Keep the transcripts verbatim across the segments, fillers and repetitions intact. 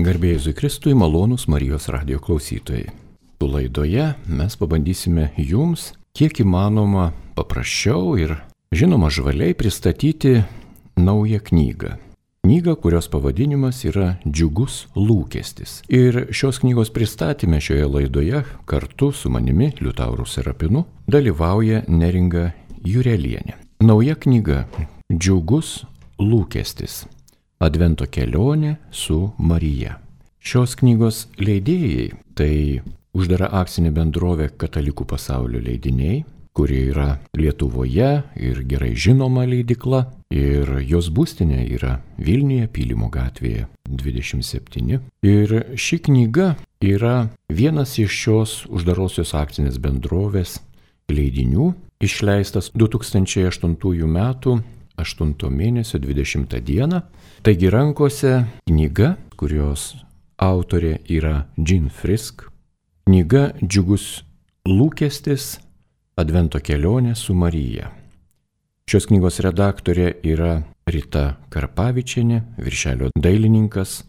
Garbė Jėzui Kristui, malonūs Marijos radijo klausytojai. Su laidoje mes pabandysime jums, kiek įmanoma paprasčiau ir, žinoma, žvaliai pristatyti naują knygą. Knygą, kurios pavadinimas yra Džiugus lūkestis. Ir šios knygos pristatyme šioje laidoje kartu su manimi, Liutauru Serapinu, dalyvauja Neringa Jurelienė. Nauja knyga Džiugus lūkestis. Advento kelionė su Marija. Šios knygos leidėjai tai uždara akcinė bendrovė Katalikų pasaulio leidiniai, kuri yra Lietuvoje ir gerai žinoma leidykla, ir jos būstinė yra Vilniuje, Pylimo gatvėje dvidešimt septyni. Ir ši knyga yra vienas iš šios uždarosios akcinės bendrovės leidinių, išleistas du tūkstančiai aštuntųjų metų aštunto mėnesio dvidešimtą dieną. Taigi rankose knyga, kurios autorė yra Jean Frisk. Knyga Džiugus lūkestis, Advento kelionė su Marija. Šios knygos redaktorė yra Rita Karpavičienė, viršelio dailininkas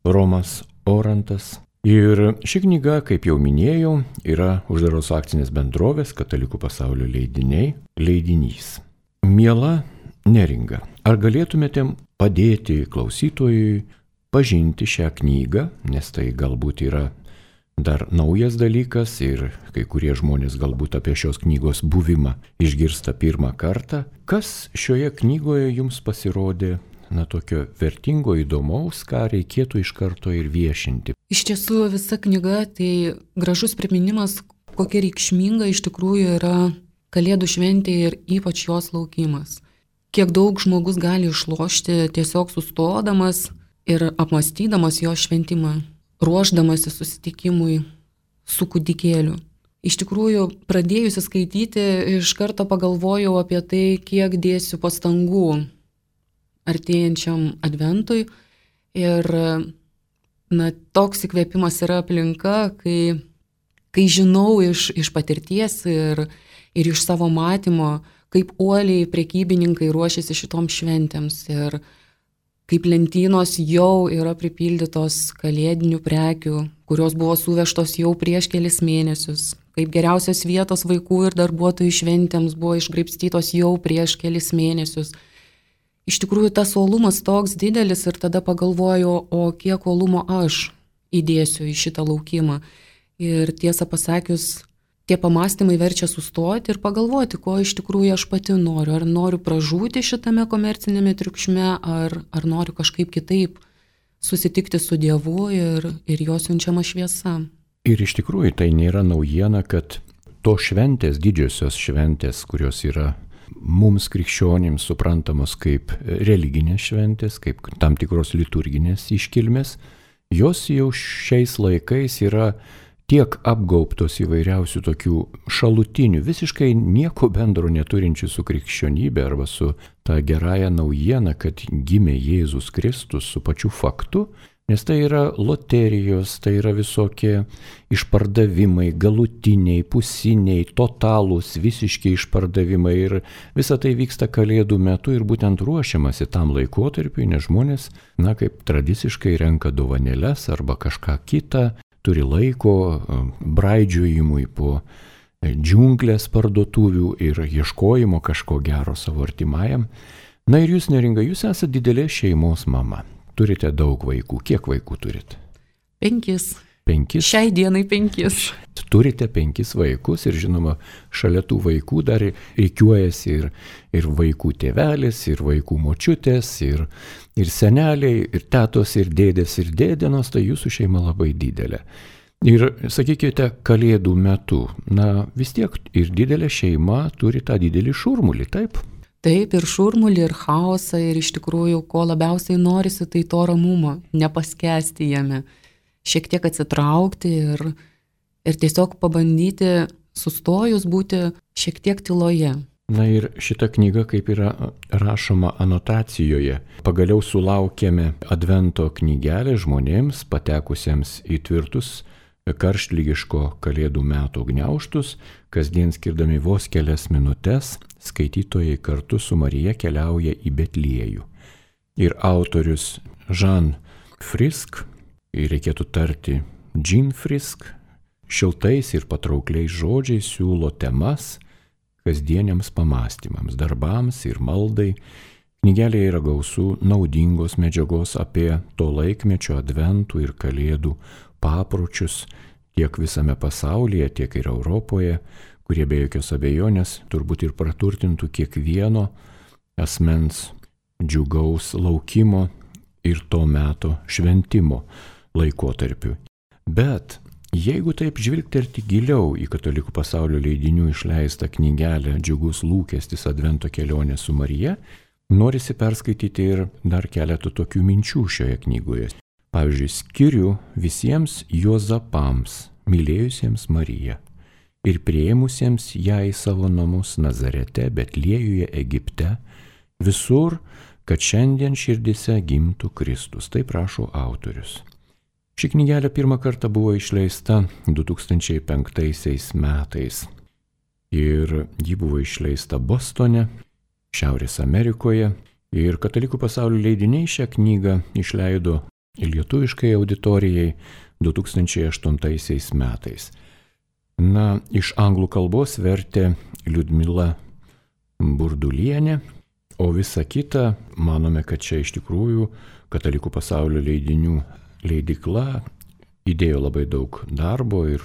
Romas Orantas. Ir ši knyga, kaip jau minėjau, yra uždaros akcinės bendrovės Katalikų pasaulio leidiniai leidinys. Miela Neringa, ar galėtumėte padėti klausytojui pažinti šią knygą, nes tai galbūt yra dar naujas dalykas ir kai kurie žmonės galbūt apie šios knygos buvimą išgirsta pirmą kartą. Kas šioje knygoje jums pasirodė na tokio vertingo, įdomaus, ką reikėtų iš karto ir viešinti? Iš tiesų visa knyga tai gražus priminimas, kokia reikšminga iš tikrųjų yra Kalėdų šventė ir ypač jos laukimas. Kiek daug žmogus gali išlošti tiesiog sustodamas ir apmąstydamas jo šventimą, ruošdamasi susitikimui su kūdikėliu. Iš tikrųjų, pradėjusi skaityti, iš karto pagalvojau apie tai, kiek dėsiu pastangų artėjančiam adventui. Ir na, toks įkvėpimas yra aplinka, kai, kai žinau iš, iš patirties ir, ir iš savo matymo, kaip uoliai prekybininkai ruošiasi šitoms šventėms ir kaip lentynos jau yra pripildytos kalėdinių prekių, kurios buvo suvežtos jau prieš kelis mėnesius, kaip geriausios vietos vaikų ir darbuotojų šventėms buvo išgraibstytos jau prieš kelis mėnesius. Iš tikrųjų, tas uolumas toks didelis ir tada pagalvojau, o kiek uolumo aš įdėsiu į šitą laukimą. Ir tiesą pasakius, tie pamastymai verčia sustoti ir pagalvoti, ko iš tikrųjų aš pati noriu. Ar noriu pražūti šitame komercinėme triukšme, ar, ar noriu kažkaip kitaip susitikti su Dievu ir, ir jo siunčiama šviesa. Ir iš tikrųjų tai nėra naujiena, kad to šventės, didžiosios šventės, kurios yra mums krikščionims suprantamos kaip religinės šventės, kaip tam tikros liturginės iškilmės, jos jau šiais laikais yra tiek apgaubtos įvairiausių tokių šalutinių, visiškai nieko bendro neturinčių su krikščionybė arba su ta gerąja naujiena, kad gimė Jėzus Kristus su pačiu faktu, nes tai yra loterijos, tai yra visokie išpardavimai, galutiniai, pusiniai, totalūs, visiški išpardavimai ir visa tai vyksta Kalėdų metu ir būtent ruošiamasi tam laikotarpiui, nes žmonės, na, kaip tradiciškai renka dovanėles arba kažką kitą, turi laiko braidžiojimui po džiunglės parduotuvių ir ieškojimo kažko gero savo artimajam. Na ir jūs, Neringa, jūs esate didelės šeimos mama. Turite daug vaikų. Kiek vaikų turite? Penkis. Penkis? Šiai dienai penkis. Turite penkis vaikus ir žinoma, šalia tų vaikų dar reikiuojasi ir, ir vaikų tėvelis, ir vaikų močiutės, ir, ir seneliai, ir tetos, ir dėdės, ir dėdienos, tai jūsų šeima labai didelė. Ir sakykite, Kalėdų metu, na vis tiek ir didelė šeima turi tą didelį šurmulį, taip? Taip, ir šurmulį, ir chaosą, ir iš tikrųjų, ko labiausiai norisi, tai to ramumo, nepaskesti jame. Šiek tiek atsitraukti ir, ir tiesiog pabandyti sustojus būti šiek tiek tyloje. Na ir šita knyga, kaip yra rašoma anotacijoje, pagaliau sulaukėme advento knygelę žmonėms patekusiems į tvirtus karštlygiško Kalėdų metų gniaužtus, kasdien skirdami vos kelias minutes, skaitytojai kartu su Marija keliauja į Betliejų. Ir autorius Jean Frisk ir reikėtų tarti Jean Frisk, šiltais ir patraukliais žodžiais siūlo temas kasdieniams pamastymams, darbams ir maldai. Knygelėje yra gausų naudingos medžiagos apie to laikmečio adventų ir kalėdų papročius tiek visame pasaulyje, tiek ir Europoje, kurie be jokios abejonės turbūt ir praturtintų kiekvieno asmens džiugaus laukimo ir to meto šventimo laikotarpiu. Bet jeigu taip žvilgterti giliau į katalikų pasaulio leidinių išleistą knygelę Džiugus lūkestis Advento kelionė su Marija, norisi perskaityti ir dar keletą tokių minčių šioje knygoje. Pavyzdžiui, skiriu visiems Juozapams, mylėjusiems Mariją ir priėmusiems ją į savo namus Nazarete, Betliejuje, Egipte, visur, kad šiandien širdise gimtų Kristus. Taip rašo autorius. Ši knygelė pirmą kartą buvo išleista du tūkstančiai penktaisiais metais ir ji buvo išleista Bostone, Šiaurės Amerikoje, ir katalikų pasaulio leidiniai šią knygą išleido lietuviškai auditorijai du tūkstančiai aštuntaisiais metais. Na, iš anglų kalbos vertė Liudmila Burdulienė, o visa kita, manome, kad čia iš tikrųjų katalikų pasaulio leidinių leidykla įdėjo labai daug darbo ir,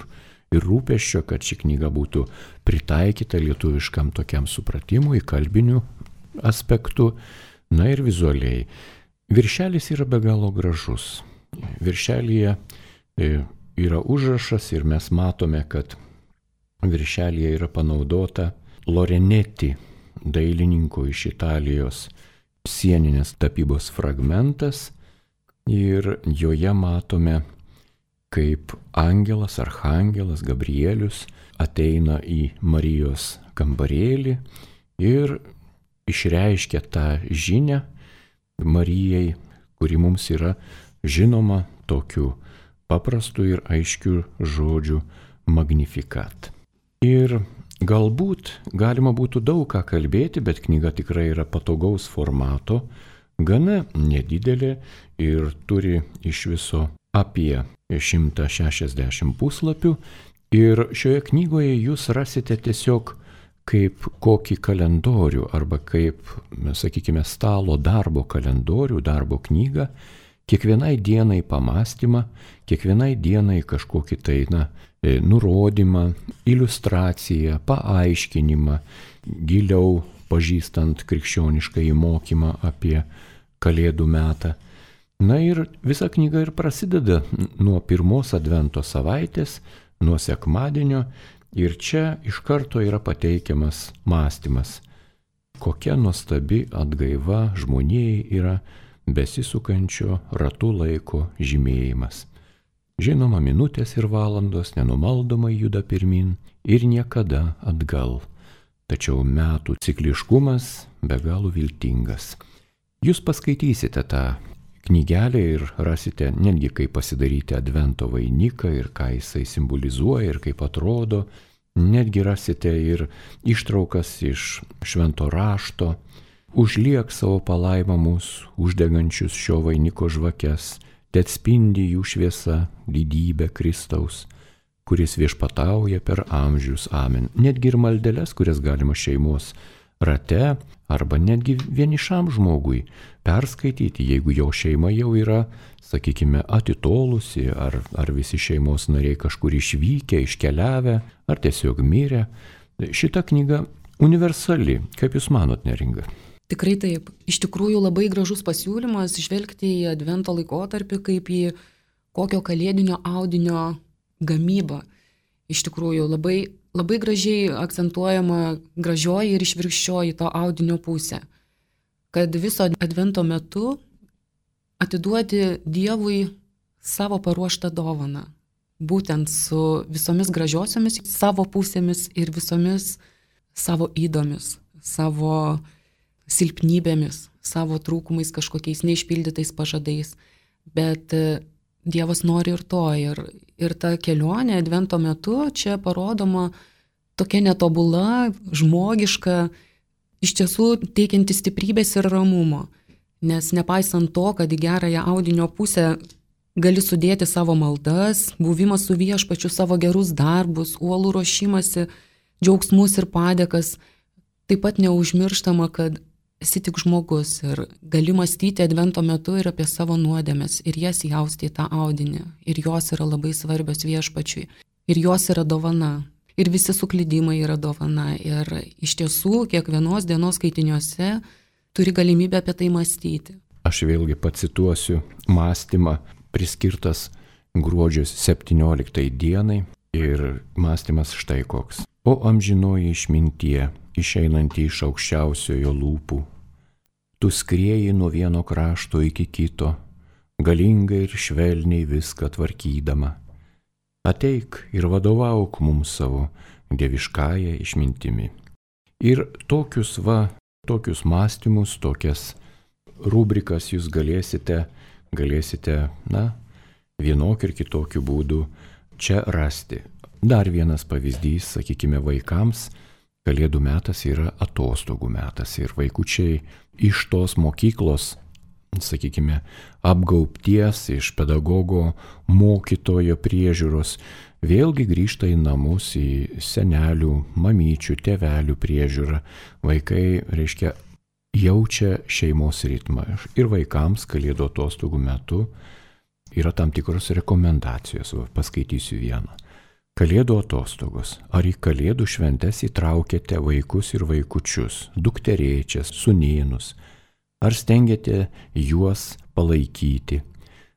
ir rūpesčio, kad ši knyga būtų pritaikyta lietuviškam tokiam supratimui, kalbiniu aspektu, na ir vizualiai. Viršelis yra be galo gražus. Viršelyje yra užrašas ir mes matome, kad viršelyje yra panaudota Loreneti, dailininko iš Italijos, sieninės tapybos fragmentas ir joje matome, kaip angelas, archangelas Gabrielius ateina į Marijos kambarėlį ir išreiškia tą žinią Marijai, kuri mums yra žinoma tokiu paprastu ir aiškiu žodžiu Magnificat. Ir galbūt galima būtų daug ką kalbėti, bet knyga tikrai yra patogaus formato, gana nedidelė ir turi iš viso apie šimtą šešiasdešimt puslapių. Ir šioje knygoje jūs rasite tiesiog kaip kokį kalendorių arba kaip, sakykime, stalo darbo kalendorių, darbo knygą, kiekvienai dienai pamastymą, kiekvienai dienai kažkokį tai, na, nurodymą, iliustraciją, paaiškinimą, giliau pažįstant krikščionišką įmokymą apie Kalėdų metą. Na ir visa knyga ir prasideda nuo pirmos Advento savaitės, nuo sekmadienio, ir čia iš karto yra pateikiamas mąstymas, kokia nuostabi atgaiva žmonijai yra besisukančio ratų laiko žymėjimas. Žinoma, minutės ir valandos nenumaldomai juda pirmin ir niekada atgal, tačiau metų cikliškumas be galo viltingas. Jūs paskaitysite tą knygelę ir rasite netgi, kaip pasidaryti Advento vainiką ir ką jisai simbolizuoja ir kaip atrodo. Netgi rasite ir ištraukas iš švento rašto. Užliek savo palaimą mus, uždegančius šio vainiko žvakes, te atspindi jų šviesa didybę Kristaus, kuris viešpatauja per amžius. Amen. Netgi ir maldeles, kurias galima šeimos rate arba netgi vienišam žmogui perskaityti, jeigu jo šeima jau yra, sakykime, atitolusi, ar, ar visi šeimos nariai kažkur išvykę, iškeliavę, ar tiesiog mirę. Šita knyga universali, kaip jūs manot, Neringa? Tikrai taip. Iš tikrųjų labai gražus pasiūlymas žvelgti į Advento laikotarpį kaip į kokio kalėdinio audinio gamybą. Iš tikrųjų labai, labai gražiai akcentuojama gražioji ir išvirkščioji to audinio pusė. Kad viso Advento metu atiduoti Dievui savo paruoštą dovaną. Būtent su visomis gražiosiomis savo pusėmis ir visomis savo įdomis, savo silpnybėmis, savo trūkumais, kažkokiais neišpildytais pažadais. Bet Dievas nori ir to. Ir, ir ta kelionė Advento metu čia parodoma tokia netobula, žmogiška, iš tiesų teikianti stiprybės ir ramumo. Nes nepaisant to, kad į gerąją audinio pusę gali sudėti savo maldas, buvimas su viešpačiu, savo gerus darbus, uolų ruošimasi, džiaugsmus ir padėkas. Taip pat neužmirštama, kad esi tik žmogus ir gali mąstyti advento metu ir apie savo nuodėmes ir jas jausti į tą audinį. Ir jos yra labai svarbios viešpačiui. Ir jos yra dovana. Ir visi suklydimai yra dovana. Ir iš tiesų kiekvienos dienos skaitiniuose turi galimybę apie tai mąstyti. Aš vėlgi pacituosiu mąstymą priskirtas gruodžio septynioliktai dienai ir mąstymas štai koks. O amžinoji išmintie, išeinanti iš aukščiausiojo lūpų, tu skrieji nuo vieno krašto iki kito, galingai ir švelniai viską tvarkydama. Ateik ir vadovauk mums savo dieviškąją išmintimi. Ir tokius va, tokius mąstymus, tokias rubrikas jūs galėsite, galėsite, na, vienokiu ir kitokiu būdu čia rasti. Dar vienas pavyzdys, sakykime, vaikams, Kalėdų metas yra atostogų metas ir vaikučiai iš tos mokyklos, sakykime, apgaubties, iš pedagogo, mokytojo priežiūros, vėlgi grįžta į namus, į senelių, mamyčių, tėvelių priežiūrą. Vaikai, reiškia, jaučia šeimos ritmą. Ir vaikams Kalėdų atostogų metu yra tam tikros rekomendacijos, va, paskaitysiu vieną. Kalėdų atostogos. Ar į Kalėdų šventes įtraukėte vaikus ir vaikučius, dukterėčias, sūnėnus? Ar stengiate juos palaikyti,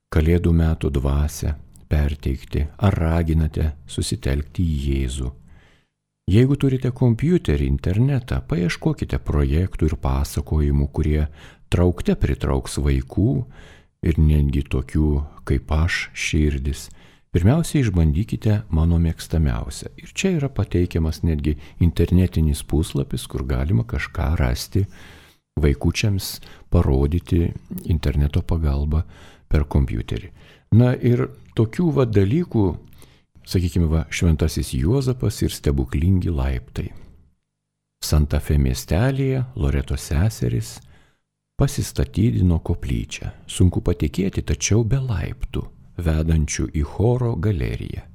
Kalėdų metų dvasią perteikti? Ar raginate susitelkti į Jėzų? Jeigu turite kompiuterį, internetą, paieškokite projektų ir pasakojimų, kurie traukte pritrauks vaikų ir netgi tokių kaip aš širdis. Pirmiausia, išbandykite mano mėgstamiausią. Ir čia yra pateikiamas netgi internetinis puslapis, kur galima kažką rasti, vaikučiams parodyti interneto pagalba per kompiuterį. Na ir tokių va dalykų, sakykime, va, Šventasis Juozapas ir stebuklingi laiptai. Santa Fe miestelėje Loretos seserys pasistatydino koplyčią. Sunku patikėti, tačiau be laiptų, vedančių į choro galeriją.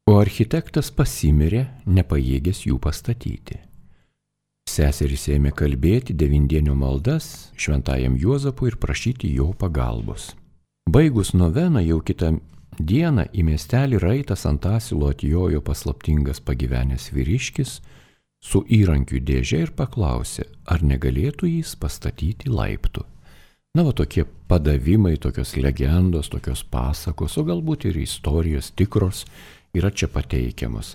O architektas pasimirė, nepajėgęs jų pastatyti. Seserys ėmė kalbėti devindienio maldas šventajam Juozapui ir prašyti jo pagalbos. Baigus noveną jau kitą dieną į miestelį raitas ant asilo atjojo paslaptingas pagyvenęs vyriškis su įrankių dėže ir paklausė, ar negalėtų jis pastatyti laiptų. Na, va, tokie padavimai, tokios legendos, tokios pasakos, o galbūt ir istorijos tikros yra čia pateikiamos.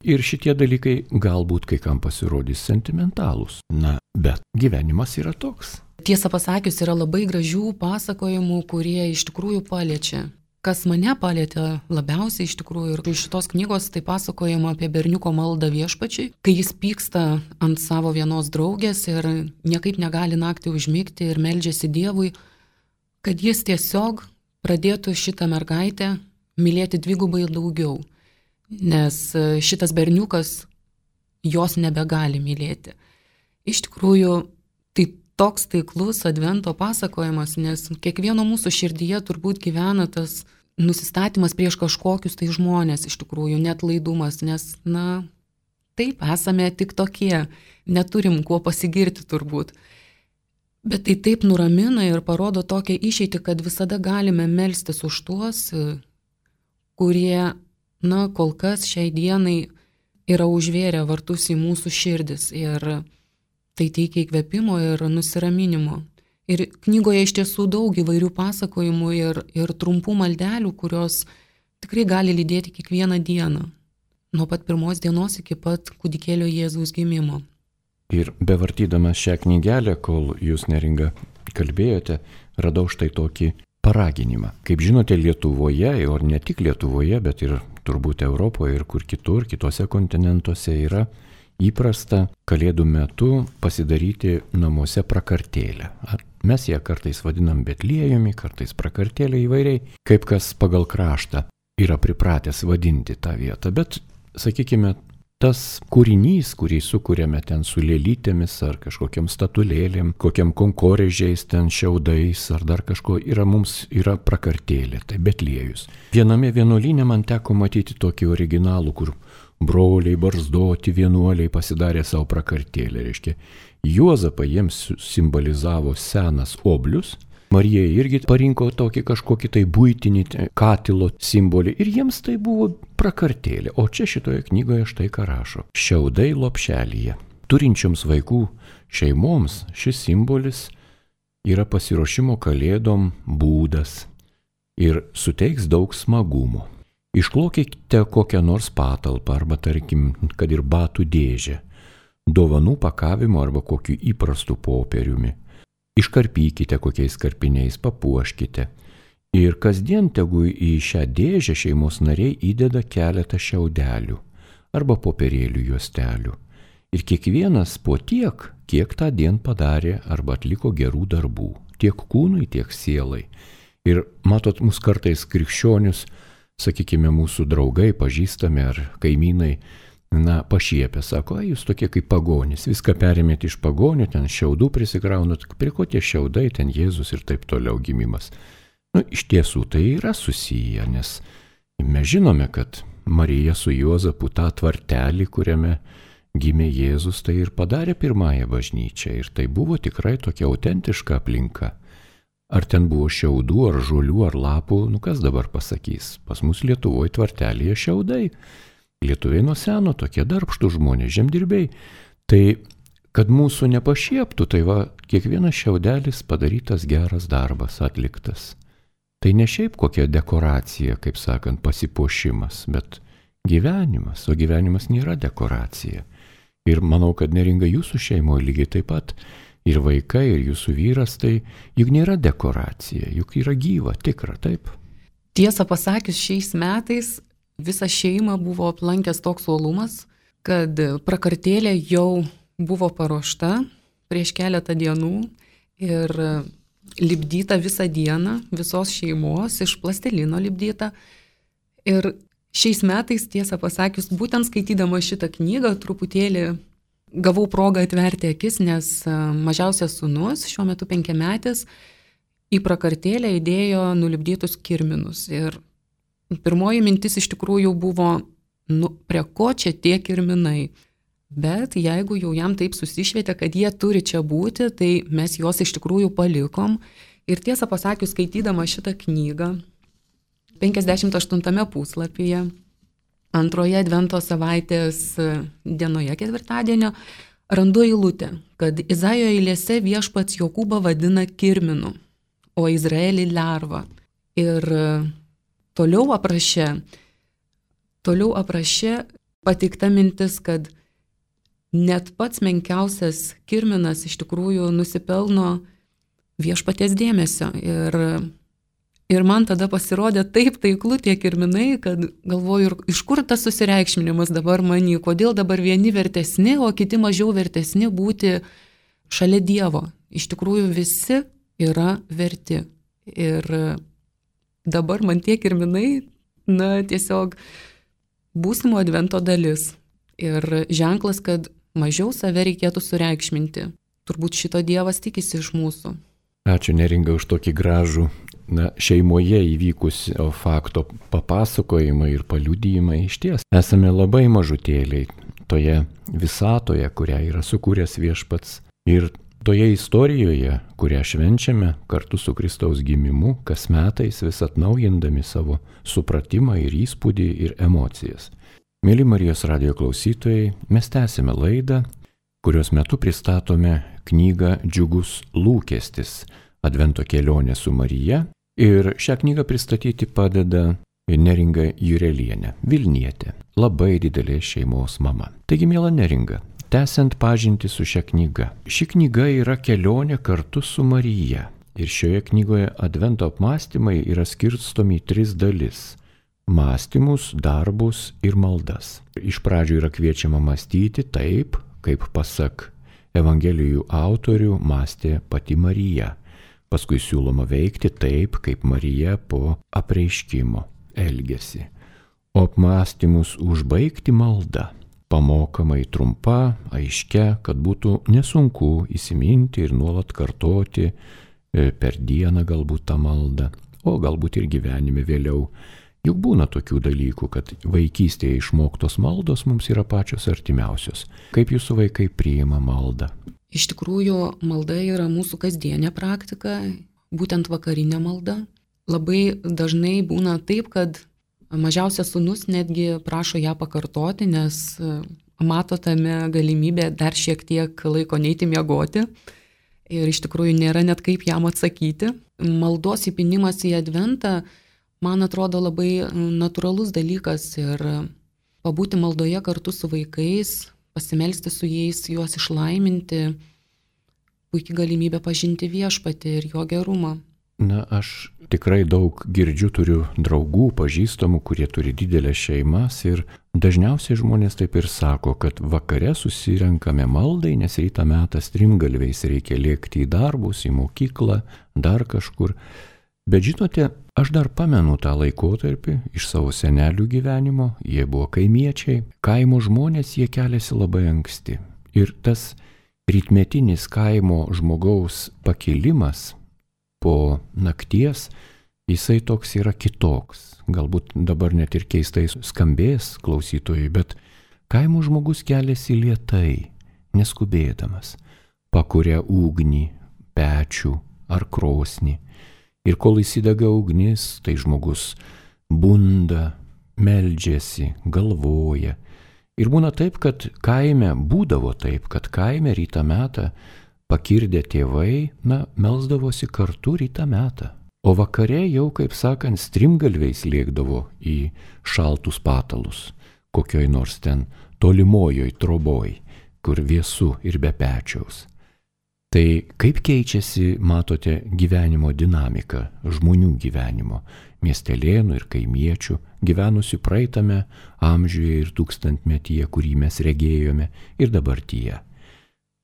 Ir šitie dalykai galbūt kai kam pasirodys sentimentalūs. Na, bet gyvenimas yra toks. Tiesą pasakius, yra labai gražių pasakojimų, kurie iš tikrųjų paliečia. Kas mane palietė labiausiai iš tikrųjų ir iš šitos knygos, tai pasakojama apie berniuko maldą viešpačiui, kai jis pyksta ant savo vienos draugės ir niekaip negali naktį užmigti ir meldžiasi Dievui, kad jis tiesiog pradėtų šitą mergaitę mylėti dvigubai daugiau, nes šitas berniukas jos nebegali mylėti. Iš tikrųjų, tai toks taiklus advento pasakojimas, nes kiekvieno mūsų širdyje turbūt gyvena tas nusistatymas prieš kažkokius tai žmonės, iš tikrųjų, net laidumas, nes, na, taip, esame tik tokie, neturim kuo pasigirti turbūt. Bet tai taip nuramina ir parodo tokią išeitį, kad visada galime melstis už tuos, kurie, na, kol kas šiai dienai yra užvėrę vartus į mūsų širdis ir tai teikia įkvėpimo ir nusiraminimo. Ir knygoje iš tiesų daug įvairių pasakojimų ir, ir trumpų maldelių, kurios tikrai gali lydėti kiekvieną dieną, nuo pat pirmos dienos iki pat kūdikėlio Jėzaus gimimo. Ir bevartydamas šią knygelę, kol jūs, Neringa, kalbėjote, radau štai tokį paraginimą. Kaip žinote, Lietuvoje, ir ne tik Lietuvoje, bet ir turbūt Europoje ir kur kitur, kitose kontinentuose yra įprasta Kalėdų metu pasidaryti namuose prakartėlę. Mes ją kartais vadinam Betliejumi, kartais prakartėlė įvairiai, kaip kas pagal kraštą yra pripratęs vadinti tą vietą. Bet, sakykime, tas kūrinys, kurį sukūrėme ten su lėlytėmis ar kažkokiam statulėlėm, kokiam konkorėžiais, ten šiaudais ar dar kažko, yra mums yra prakartėlė, tai Betliejus. Viename vienuolyne man teko matyti tokį originalų, kur broliai barzdoti vienuoliai pasidarė savo prakartėlę, reiškia. Juozapą jiems simbolizavo senas oblius, Marija irgi parinko tokį kažkokį tai buitinį katilo simbolį ir jiems tai buvo prakartėlė. O čia šitoje knygoje štai ką rašo. Šiaudai lopšelyje. Turinčioms vaikų šeimoms šis simbolis yra pasiruošimo kalėdom būdas ir suteiks daug smagumo. Išklokite kokią nors patalpą arba tarkim, kad ir batų dėžę, dovanų pakavimo arba kokiu įprastu popieriumi. Iškarpykite kokiais karpiniais, papuoškite. Ir kasdien tegu į šią dėžę šeimos nariai įdeda keletą šiaudelių arba popierėlių juostelių. Ir kiekvienas po tiek, kiek tą dieną padarė arba atliko gerų darbų, tiek kūnui, tiek sielai. Ir matot, mus kartais krikščionius, sakykime, mūsų draugai, pažįstami ar kaimynai, na, pašiepia, sako, jūs tokie kaip pagonys, viską perimėte iš pagonių, ten šiaudų prisikraunat, prie ko tie šiaudai, ten Jėzus ir taip toliau gimimas. Nu, iš tiesų tai yra susiję, nes mes žinome, kad Marija su Juozapu tą tvartelį, kuriame gimė Jėzus, tai ir padarė pirmąją bažnyčią ir tai buvo tikrai tokia autentiška aplinka. Ar ten buvo šiaudų, ar žolių, ar lapų, nu kas dabar pasakys, pas mus Lietuvoje tvartelėje šiaudai. Lietuviai nuo seno tokie darbštų žmonės, žemdirbiai. Tai, kad mūsų nepašieptų, tai va, kiekvienas šiaudelis padarytas geras darbas, atliktas. Tai ne šiaip kokia dekoracija, kaip sakant, pasipuošimas, bet gyvenimas, o gyvenimas nėra dekoracija. Ir manau, kad Neringa jūsų šeimoje lygiai taip pat, ir vaikai, ir jūsų vyras, tai juk nėra dekoracija, juk yra gyva, tikra, taip. Tiesą pasakius, šiais metais visą šeimą buvo aplankęs toks uolumas, kad prakartėlė jau buvo paruošta prieš keletą dienų ir lipdyta visą dieną, visos šeimos, iš plastelino lipdyta. Ir šiais metais, tiesą pasakius, būtent skaitydama šitą knygą, truputėlį gavau progą atverti akis, nes mažiausias sūnus, šiuo metu penkiametis, į prakartėlę įdėjo nulipdytus kirminus. Ir pirmoji mintis iš tikrųjų buvo, nu, prie ko čia tie kirminai. Bet jeigu jau jam taip susišvietė, kad jie turi čia būti, tai mes juos iš tikrųjų palikom. Ir tiesą pasakius, skaitydama šitą knygą, penkiasdešimt aštuntame puslapyje, antroje advento savaitės dienoje, ketvirtadienio, randu eilutę, kad Izaijo eilėse viešpats Jokūbą vadina kirminu, o Izraelį lervą. Ir Toliau aprašė, toliau aprašė pateikta mintis, kad net pats menkiausias kirminas iš tikrųjų nusipelno viešpaties dėmesio. Ir, ir man tada pasirodė taip taiklu tie kirminai, kad galvoju, iš kur tas susireikšminimas dabar many, kodėl dabar vieni vertesni, o kiti mažiau vertesni būti šalia Dievo. Iš tikrųjų visi yra verti. Ir dabar man tie kirminai, na, tiesiog būsimo advento dalis. Ir ženklas, kad mažiau save reikėtų sureikšminti. Turbūt šito Dievas tikisi iš mūsų. Ačiū Neringa už tokį gražų, na, šeimoje įvykusio fakto papasakojimą ir paliudijimą. Iš ties esame labai mažutėliai toje visatoje, kurią yra sukūręs viešpats. Ir toje istorijoje, kurią švenčiame kartu su Kristaus gimimu, kas metais vis atnaujindami savo supratimą ir įspūdį ir emocijas. Mėly Marijos radijo klausytojai, mes tęsime laidą, kurios metu pristatome knygą Džiugus lūkestis – Advento kelionė su Marija. Ir šią knygą pristatyti padeda Neringa Jurelienė, Vilnietė, labai didelės šeimos mama. Taigi, miela Neringa, tęsiant pažintį su šia knyga. Ši knyga yra kelionė kartu su Marija. Ir šioje knygoje Advento apmąstymai yra skirstomi į tris dalis – mąstymus, darbus ir maldas. Iš pradžių yra kviečiama mąstyti taip, kaip pasak Evangelijų autorių mąstė pati Marija. Paskui siūloma veikti taip, kaip Marija po apreiškimo elgėsi. O apmąstymus užbaigti malda. pamokamai trumpa, aiškia, kad būtų nesunku įsiminti ir nuolat kartoti per dieną galbūt tą maldą, o galbūt ir gyvenime vėliau. Juk būna tokių dalykų, kad vaikystėje išmoktos maldos mums yra pačios artimiausios. Kaip jūsų vaikai priima maldą? Iš tikrųjų, malda yra mūsų kasdienė praktika, būtent vakarinė malda. Labai dažnai būna taip, kad mažiausias sūnus netgi prašo ją pakartoti, nes mato tame galimybę dar šiek tiek laiko neiti miegoti. Ir iš tikrųjų nėra net kaip jam atsakyti. Maldos įpinimas į adventą, man atrodo, labai natūralus dalykas ir pabūti maldoje kartu su vaikais, pasimelsti su jais, juos išlaiminti, puikiai galimybė pažinti viešpatį ir jo gerumą. Na, aš tikrai daug girdžiu, turiu draugų, pažįstamų, kurie turi didelės šeimas ir dažniausiai žmonės taip ir sako, kad vakare susirenkame maldai, nes rytą metas strimgalviais reikia lėkti į darbus, į mokyklą, dar kažkur. Bet žinote, aš dar pamenu tą laikotarpį iš savo senelių gyvenimo, jie buvo kaimiečiai, kaimo žmonės, jie keliasi labai anksti. Ir tas rytmetinis kaimo žmogaus pakilimas po nakties, jisai toks yra kitoks. Galbūt dabar net ir keistai skambės klausytojai, bet kaimo žmogus keliasi lėtai, neskubėdamas, pakuria ugnį, pečių ar krosnį. Ir kol įsidega ugnis, tai žmogus bunda, meldžiasi, galvoja. Ir būna taip, kad kaime, būdavo taip, kad kaime rytą metą pakirdę tėvai, na, melsdavosi kartu rytą metą. O vakare jau, kaip sakant, strimgalviais lėkdavo į šaltus patalus, kokioj nors ten tolimojoj troboj, kur vėsu ir be pečiaus. Tai kaip keičiasi, matote, gyvenimo dinamika, žmonių gyvenimo, miestelėnų ir kaimiečių, gyvenusių praeitame amžiuje ir tūkstantmetyje, kurį mes regėjome, ir dabartyje.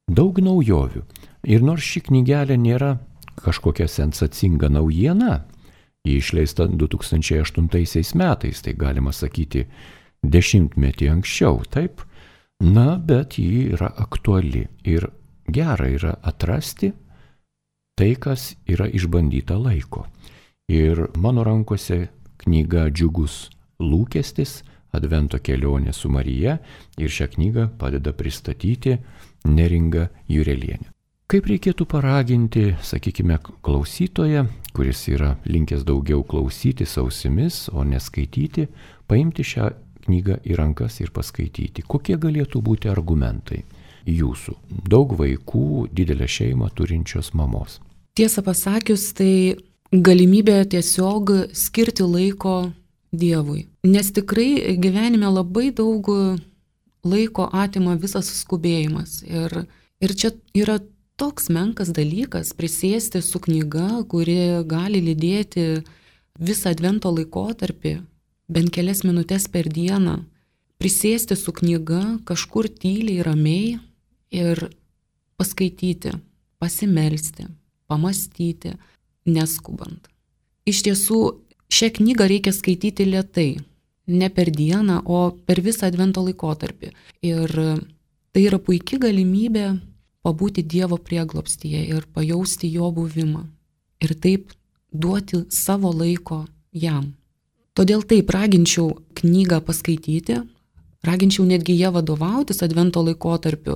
Daug naujovių. Ir nors ši knygelė nėra kažkokia sensacinga naujiena, ji išleista du tūkstančiai aštuntaisiais metais, tai galima sakyti dešimtmetį anksčiau, taip, na, bet ji yra aktuali ir gera yra atrasti tai, kas yra išbandyta laiko. Ir mano rankose knyga Džiugus lūkestis, Advento kelionė su Marija, ir šią knygą padeda pristatyti Neringa Jurelienė. Kaip reikėtų paraginti, sakykime, klausytoją, kuris yra linkęs daugiau klausyti ausimis, o neskaityti, paimti šią knygą į rankas ir paskaityti? Kokie galėtų būti argumentai jūsų, daug vaikų, didelę šeimą turinčios mamos? Tiesą pasakius, tai galimybė tiesiog skirti laiko Dievui. Nes tikrai gyvenime labai daug laiko atima visas skubėjimas. Ir, ir čia yra toks menkas dalykas prisėsti su knyga, kuri gali lydėti visą advento laikotarpį, bent kelias minutės per dieną, prisėsti su knyga kažkur tyliai, ramiai ir paskaityti, pasimelsti, pamastyti, neskubant. Iš tiesų, šią knygą reikia skaityti lėtai, ne per dieną, o per visą advento laikotarpį. Ir tai yra puikia galimybė pabūti Dievo prieglobstyje ir pajausti jo buvimą. Ir taip duoti savo laiko jam. Todėl taip raginčiau knygą paskaityti, raginčiau netgi ją vadovautis advento laikotarpiu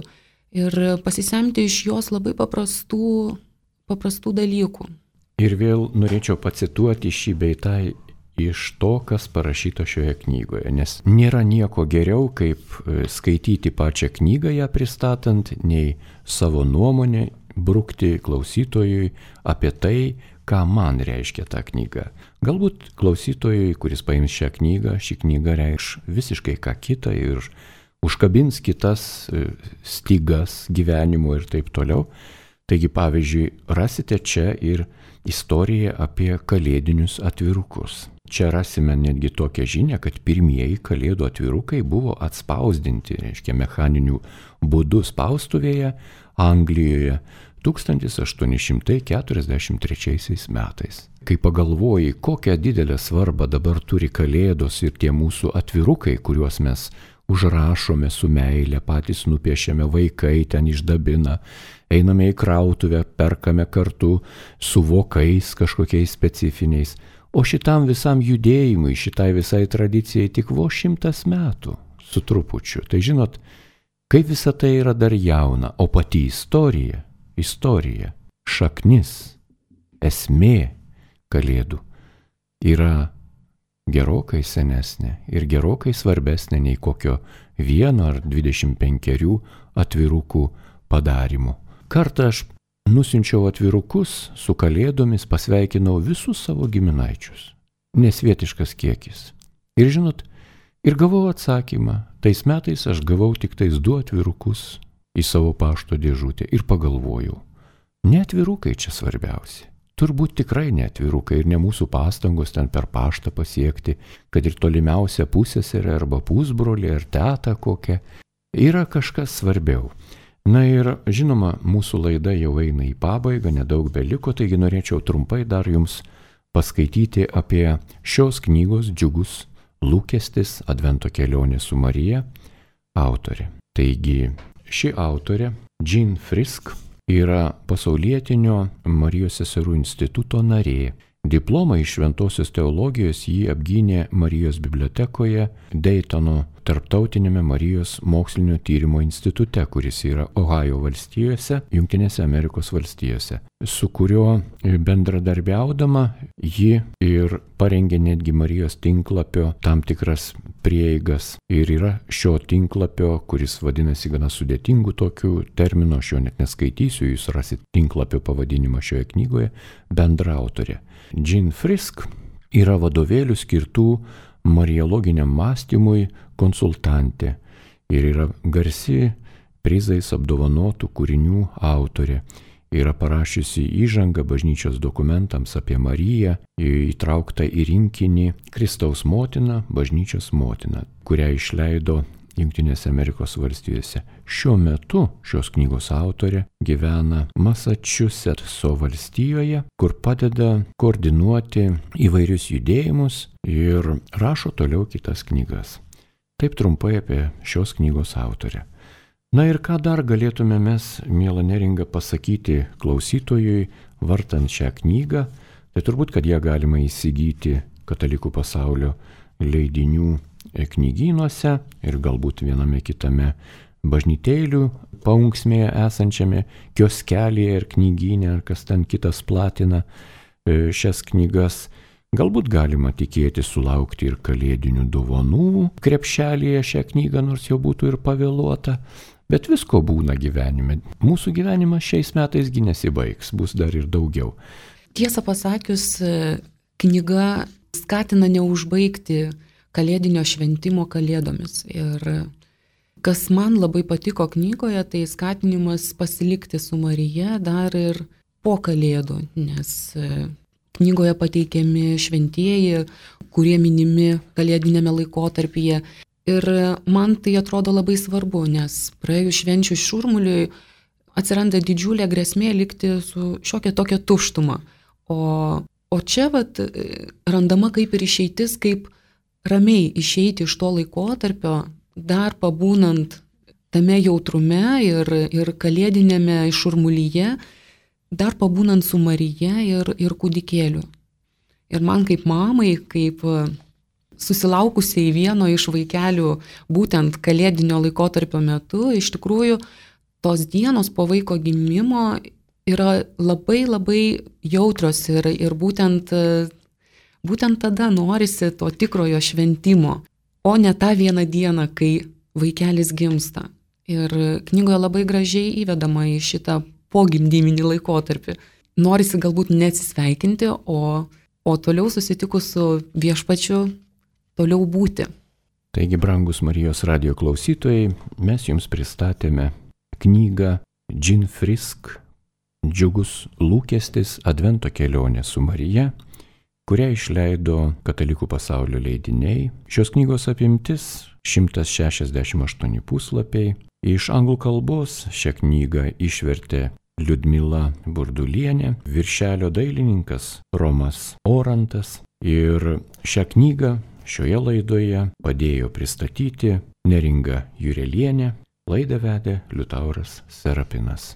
ir pasisemti iš jos labai paprastų, paprastų dalykų. Ir vėl norėčiau pacituoti šį bei tą iš to, kas parašyta šioje knygoje, nes nėra nieko geriau, kaip skaityti pačią knygą ją pristatant, nei savo nuomonę brukti klausytojui apie tai, ką man reiškia ta knyga. Galbūt klausytojui, kuris paims šią knygą, ši knyga reikš visiškai ką kitą ir užkabins kitas stygas gyvenimo ir taip toliau. Taigi, pavyzdžiui, rasite čia ir istoriją apie kalėdinius atvirukus. Čia rasime netgi tokią žinią, kad pirmieji kalėdų atvirukai buvo atspausdinti, reiškia, mechaniniu būdu spaustuvėje Anglijoje tūkstantis aštuoni šimtai keturiasdešimt trečiaisiais metais. Kai pagalvoji, kokią didelę svarbą dabar turi kalėdos ir tie mūsų atvirukai, kuriuos mes užrašome su meile, patys nupiešiame, vaikai ten išdabina, einame į krautuvę, perkame kartu su vokais kažkokiais specifiniais. O šitam visam judėjimui, šitai visai tradicijai tik vos šimtas metų su trupučiu. Tai žinot, kaip visa tai yra dar jauna, o pati istorija, istorija, šaknis, esmė Kalėdų yra gerokai senesnė ir gerokai svarbesnė nei kokio vieno ar dvidešimt penkerių atvirukų padarimų. Kartą aš nusiunčiau atvirukus su Kalėdomis, pasveikinau visus savo giminaičius. Nesvietiškas kiekis. Ir žinot, ir gavau atsakymą. Tais metais aš gavau tik tais du atvirukus į savo pašto dėžutę ir pagalvojau, ne atvirukai čia svarbiausi. Turbūt tikrai ne atvirukai ir ne mūsų pastangos ten per paštą pasiekti, kad ir tolimiausia pusseserė arba pusbrolį ar tetą kokią. Yra kažkas svarbiau. Na ir žinoma, mūsų laida jau eina į pabaigą, nedaug beliko, taigi norėčiau trumpai dar jums paskaityti apie šios knygos Džiugus lūkestis Advento kelionė su Marija autorė. Taigi ši autorė, Jean Frisk, yra pasaulietinio Marijos seserų instituto narė. Diplomą iš šventosios teologijos jį apgynė Marijos bibliotekoje Daytono tarptautinėme Marijos mokslinio tyrimo institute, kuris yra Ohajo valstijose, Jungtinėse Amerikos valstijose, su kuriuo bendradarbiaudama ji ir parengė netgi Marijos tinklapio tam tikras prieigas. Ir yra šio tinklapio, kuris vadinasi gana sudėtingų tokių terminų, aš jo net neskaitysiu, jūs rasit tinklapio pavadinimą šioje knygoje, bendraautorė. Jean Frisk yra vadovėlių skirtų mariologiniam mąstymui konsultantė ir yra garsi prizais apdovanotų kūrinių autorė. Yra parašiusi įžangą bažnyčios dokumentams apie Mariją, įtraukta į rinkinį Kristaus motina, bažnyčios motina, kurią išleido Jungtinėse Amerikos valstijose. Šiuo metu šios knygos autorė gyvena Masačusetso valstijoje, kur padeda koordinuoti įvairius judėjimus ir rašo toliau kitas knygas. Taip trumpai apie šios knygos autorę. Na ir ką dar galėtume mes, miela Neringa, pasakyti klausytojui, vartant šią knygą, tai turbūt, kad ją galima įsigyti Katalikų pasaulio leidinių knygynuose ir galbūt viename kitame bažnytėlių paunksmėje esančiame kioskelėje ir knygyne, ar kas ten kitas platina šias knygas. Galbūt galima tikėti sulaukti ir kalėdinių dovanų krepšelėje šią knygą, nors jau būtų ir pavėluota. Bet visko būna gyvenime. Mūsų gyvenimas šiais metais gi nesibaigs, bus dar ir daugiau. Tiesą pasakius, knyga skatina neužbaigti kalėdinio šventimo kalėdomis. Ir kas man labai patiko knygoje, tai skatinimas pasilikti su Marija dar ir po kalėdų, nes knygoje pateikiami šventieji, kurie minimi kalėdinėme laikotarpyje. Ir man tai atrodo labai svarbu, nes praėjus švenčių šurmuliui atsiranda didžiulė grėsmė likti su šiokia tokia tuštuma. O, o čia vat, randama kaip ir išeitis, kaip ramiai išeiti iš to laikotarpio, dar pabūnant tame jautrume ir, ir kalėdinėme šurmulyje, dar pabūnant su Marija ir, ir kūdikėliu. Ir man kaip mamai, kaip susilaukusiai vieno iš vaikelių būtent kalėdinio laikotarpio metu, iš tikrųjų tos dienos po vaiko gimimo yra labai labai jautrios ir, ir būtent Būtent tada norisi to tikrojo šventimo, o ne tą vieną dieną, kai vaikelis gimsta. Ir knygoje labai gražiai įvedama į šitą pogimdyminį laikotarpį. Norisi galbūt neatsisveikinti, o, o toliau susitikus su viešpačiu toliau būti. Taigi, brangus Marijos radijo klausytojai, mes jums pristatėme knygą Jean Frisk Džiugus lūkestis Advento kelionė su Marija, kurią išleido Katalikų pasaulio leidiniai. Šios knygos apimtis šimtas šešiasdešimt aštuoni puslapiai. Iš anglų kalbos šią knygą išvertė Liudmila Burdulienė, viršelio dailininkas Romas Orantas. Ir šią knygą šioje laidoje padėjo pristatyti Neringa Jurelienė, laidą vedė Liutauras Serapinas.